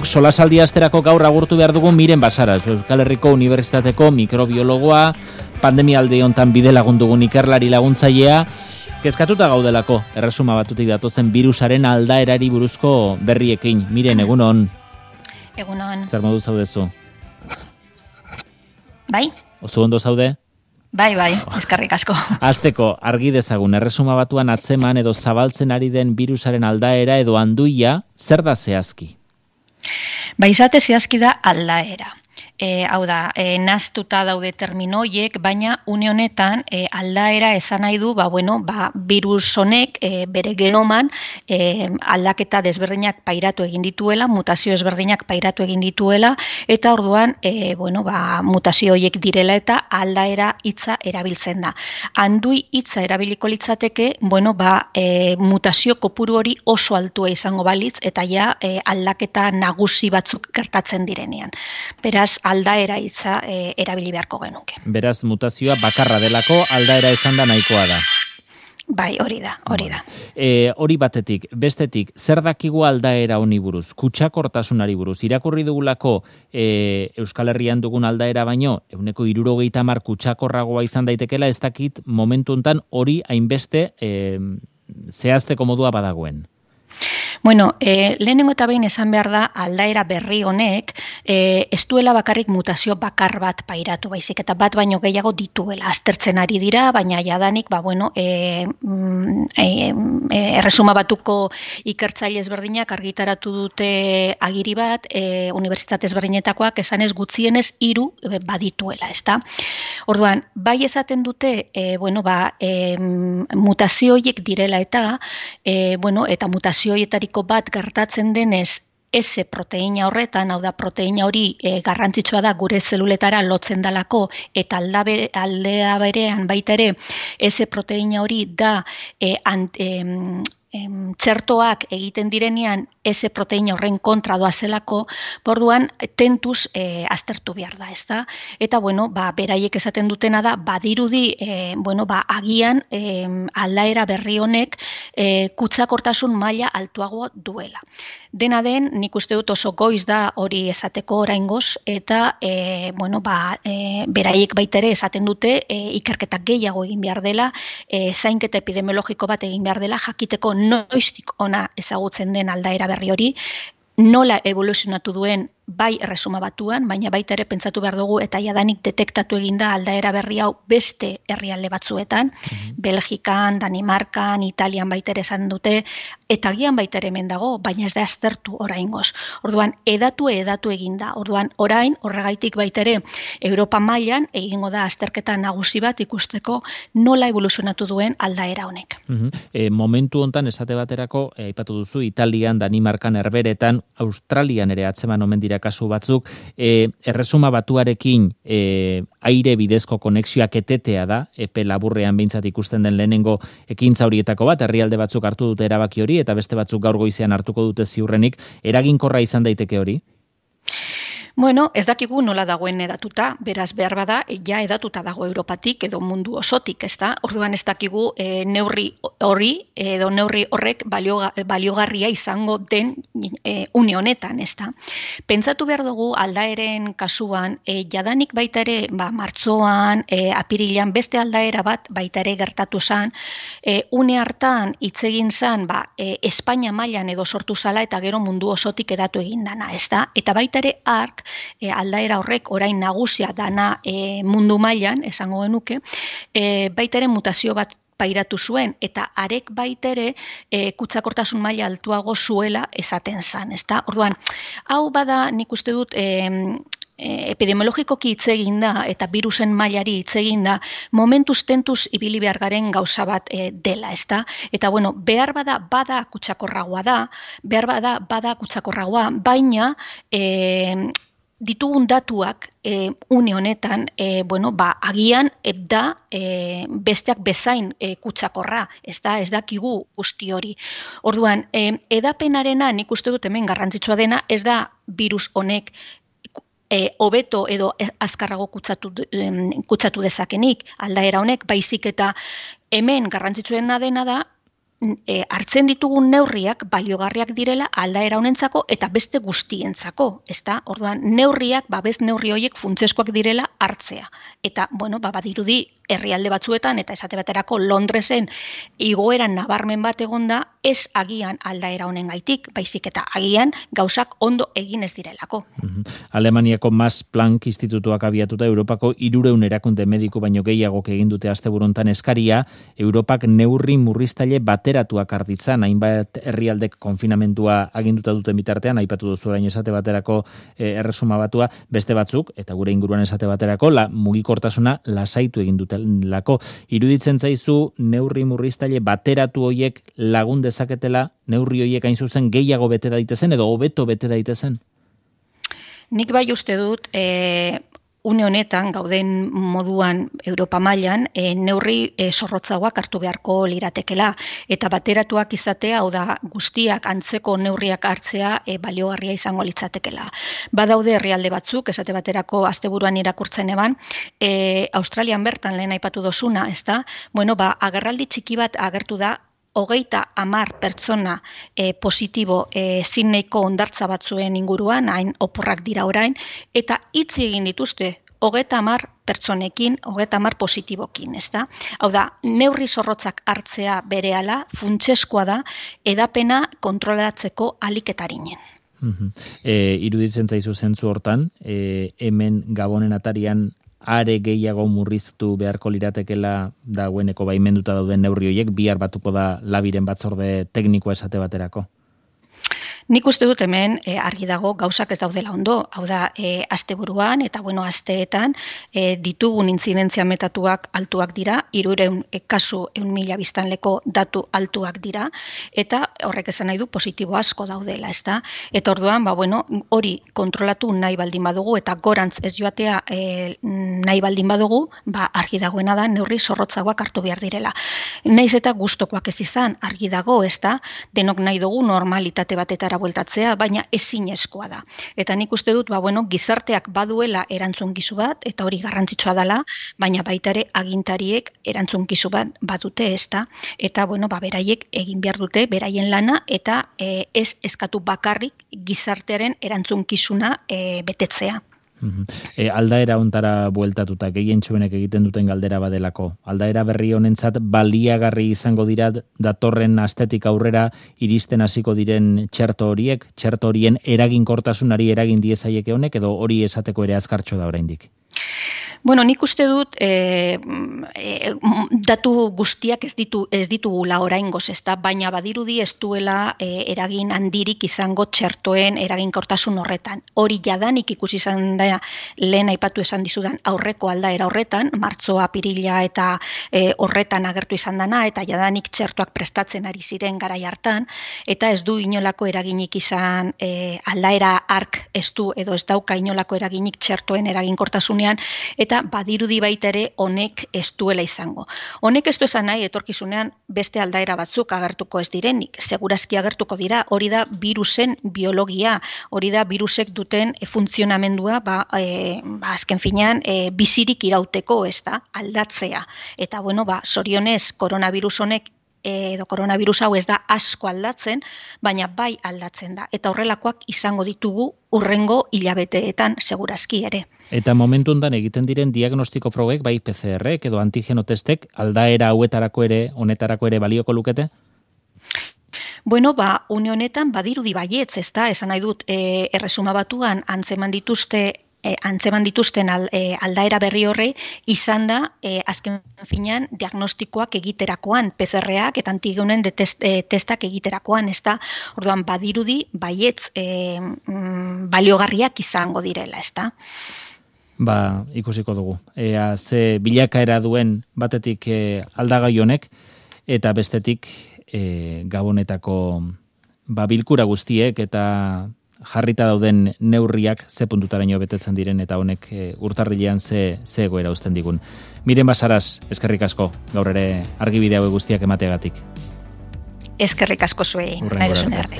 Solasaldi asterako gaur agurtu behar dugu Miren Basara, Euskal Herriko Unibertsitateko mikrobiologoa, pandemialde hontan bide lagundugun ikerlari laguntzailea, kezkatuta gaudelako, erresuma batutik datozen virusaren aldaerari buruzko berriekin. Miren, egunon. Egunon. Zer modu zaudezu? Bai? Oso ondo zaude? Bai, eskerrik asko. Hasteko, argi dezagun, erresuma batuan atzeman edo zabaltzen ari den virusaren aldaera edo anduia, zer da zehazki? Izate zehazki da aldaera. Hau da, nahaztuta daude terminoiek, baina une honetan aldaera esan nahi du, virus honek bere genoman aldaketa desberdinak pairatu egin dituela, mutazio desberdinak pairatu egin dituela, eta orduan, mutazio horiek direla eta aldaera hitza erabiltzen da. Handui hitza erabiliko litzateke, mutazio kopuru hori oso altua izango balitz, eta ja aldaketa nagusi batzuk gertatzen direnean. Beraz, aldaera hitza erabili beharko genuke. Beraz, mutazioa bakarra delako, aldaera esan da nahikoa da. Bai, hori da. Hori batetik, bestetik, zer dakigu aldaera honi buruz, kutsakortasunari buruz, irakurri dugulako Euskal Herrian dugun aldaera baino, 70% kutsakorragoa izan daitekela, ez dakit momentu hontan hori hainbeste zehazteko modua badagoen. Lehenengo eta behin esan behar da aldaera berri honek ez duela bakarrik mutazio bakar bat pairatu baizik, eta bat baino gehiago dituela. Aztertzen ari dira, baina jadanik, erresuma batuko ikertzaile ezberdinak argitaratu dute agiri bat, unibertsitate ezberdinetakoak esanez gutxienez 3 badituela, ezta? Orduan, bai esaten dute, mutazio horiek direla eta mutazio horietariko bat gertatzen denez S proteina horretan, hau da proteina hori garrantzitsua da gure zeluletara lotzen dalako, eta aldea berean baita ere S proteina hori da txertoak egiten direnean S proteina horren kontra doazelako, orduan tentuz aztertu behar da, ezta? Eta beraiek esaten dutena da, badirudi agian aldaera berri honek kutsakortasun maila altuagoa duela. Dena den, nik uste dut oso goiz da hori esateko oraingoz, eta beraiek baita ere esaten dute ikerketak gehiago egin behar dela, zainketa epidemiologiko bat egin behar dela, jakiteko noiztik ona ezagutzen den aldaera berri hori, nola evoluzionatu duen bai erresuma batuan, baina baita ere pentsatu behar dugu eta jadanik detektatu eginda aldaera berri hau beste herrialde batzuetan, Belgikan, Danimarkan, Italian baita ere esan dute, eta gian baita ere hemen dago, baina ez da aztertu oraingoz. Orduan, edatu eginda. Orduan, orain, horregaitik baita ere, Europa mailan egingo da azterketa nagusi bat ikusteko nola evoluzionatu duen aldaera honek. Momentu hontan esate baterako, aipatu duzu, Italian, Danimarkan, Herberetan, Australian ere atzeman omen dira kasu batzuk, erresuma batuarekin aire bidezko konexioak etetea da, epe laburrean behintzat ikusten den lehenengo ekintza horietako bat, herrialde batzuk hartu dute erabaki hori, eta beste batzuk gaur goizean hartuko dute ziurrenik, eraginkorra izan daiteke hori? Ez dakigu nola dagoen edatuta, beraz behar bada, ja edatuta dago Europatik edo mundu osotik, ezta? Orduan ez dakigu neurri hori edo neurri horrek baliogarria izango den une honetan, ezta? Pentsatu behar dugu aldaeren kasuan, jadanik baita ere, martxoan, apirilean, beste aldaera bat baita ere gertatu zen, une hartan hitz egin zen, Espainia mailan edo sortu zala eta gero mundu osotik edatu egin dana, ezta? Eta baita ere ark, aldaera horrek orain nagusia dana mundu mailan, esango genuke, baita ere mutazio bat pairatu zuen, eta arek baita ere kutsakortasun maila altuago zuela esaten zan, ezta? Orduan, hau bada nik uste dut epidemiologikoki hitz egin da eta virusen mailari hitz egin da, momentuz tentuz ibili behar garen gauza bat dela, ezta? Eta behar bada kutsakorragoa, baina ditugun datuak une honetan, agian da besteak bezain kutsakorra, ez dakigu guzti hori. Orduan, edapenarena nik uste dut hemen garrantzitsua dena, ez da virus honek hobeto edo azkarrago kutsatu dezakenik aldaera honek, baizik eta hemen garrantzitsuena dena da hartzen ditugun neurriak baliogarriak direla aldaera honentzako eta beste guztientzako, ezta? Orduan, neurriak, babes neurri horiek funtsezkoak direla hartzea. Eta, badirudi herrialde batzuetan, eta esate baterako Londresen igoeran nabarmen bat egonda, ez agian aldaera honengaitik, baizik eta agian gauzak ondo egin ez direlako. Alemaniako Max Planck Institutuak abiatuta Europako 300 erakunde mediku baino gehiagok egin dute asteburuntan eskaria, Europak neurri murriztaile bateratuak arditzan, hainbat herrialdek konfinamentua aginduta duten bitartean, aipatu duzu orain esate baterako erresuma batua, beste batzuk, eta gure inguruan esate baterako, mugikortasuna lasaitu egin dutelako. Iruditzen zaizu neurri murriztaile bateratu hoiek lagun dezaketela, neurri hoiek hain zuzen gehiago bete daitezen edo hobeto bete daitezen? Nik bai uste dut, une honetan, gauden moduan Europa mailan, neurri zorrotzagoak hartu beharko liratekela. Eta bateratuak izatea, hau da guztiak antzeko neurriak hartzea baliogarria izango litzatekela. Badaude herrialde batzuk, esate baterako asteburuan irakurtzen eban, Australian bertan lehen aipatu dozuna, ezta? Agerraldi txiki bat agertu da, 30 pertsona positibo Sydneyko hondartza batzuen inguruan, hain oporrak dira orain, eta hitz egin dituzte 30 pertsonekin, 30 positibokin, ezta? Hau da, neurri zorrotzak hartzea berehala funtsezkoa da edapena kontrolatzeko aliketaringen. Iruditzen zaizu zentzu hortan, hemen Gabonen atarian are gehiago murriztu beharko liratekela dagoeneko baimenduta dauden neurri horiek, bihar batuko da labiren batzorde teknikoa esate baterako? Nik uste dut hemen argi dago gauzak ez daudela ondo, hau da asteburuan eta asteetan ditugun intzidentzia metatuak altuak dira, 300 kasu 1.000 biztanleko datu altuak dira, eta horrek esan nahi du positibo asko daudela, ezta? Eta orduan, hori kontrolatu nahi baldin badugu eta gorantz ez joatea nahi baldin badugu, argi dagoena da neurri zorrotzagoak hartu behar direla. Naiz eta gustokoak ez izan, argi dago, ezta? Denok nahi dugu normalitate batetara bueltatzea, baina ezinezkoa da. Eta nik uste dut, gizarteak baduela erantzunkizu bat, eta hori garrantzitsua dela, baina baita ere agintariek erantzunkizu bat badute, ezta? Eta, beraiek egin behar dute, beraien lana, eta ez eskatu bakarrik gizartearen erantzunkizuna betetzea. Aldaera hontara bueltatuta gehientsuenek egiten duten galdera badelako. Aldaera berri honentzat baliagarri izango dira datorren astetik aurrera iristen hasiko diren txerto horiek, txerto horien eraginkortasunari eragin diezaieke honek edo hori esateko ere azkartxo da oraindik? Nik uste dut datu guztiak ez ditugula oraingoz, ezta, baina badirudi ez duela eragin handirik izango txertoen eraginkortasun horretan. Hori jadanik ikusi izan da lehen aipatu esan dizudan aurreko aldaera horretan, martxoa, apirila eta horretan agertu izan dana, eta jadanik txertoak prestatzen ari ziren garai hartan, eta ez du inolako eraginik izan aldaera ark ez du edo ez dauka inolako eraginik txertoen eraginkortasunean, eta badirudi baita ere honek ez duela izango. Honek ez du esan nahi etorkizunean beste aldaera batzuk agertuko ez direnik, segurazki agertuko dira, hori da virusen biologia, hori da virusek duten funtzionamendua, azken finean bizirik irauteko, ez da, aldatzea. Eta zorionez koronavirus honek edo koronavirus hau ez da asko aldatzen, baina bai aldatzen da. Eta horrelakoak izango ditugu hurrengo hilabeteetan segurazki ere. Eta momentu hontan egiten diren diagnostiko probek, bai PCR-ek edo antigeno testek, aldaera honetarako ere balioko lukete? Une honetan badirudi baietz, ez da, esan nahi dut, erresuma batuan antzeman dituzten aldaera berri horre izan da azken finean diagnostikoak egiterakoan, PCR-ak eta antigenen testak egiterakoan, ez da, orduan badirudi baietz baliogarriak izango direla, ez da. Ikusiko dugu. Ze bilakaera duen batetik aldagai honek eta bestetik Gabonetako bilkura guztiek eta jarrita dauden neurriak ze puntutaraino betetzen diren eta honek urtarrilean ze egoera uzten digun. Miren Basaras, eskerrik asko, gaur ere argibide hauek guztiak emateagatik. Eskerrik asko zuei, nahi duzun arte.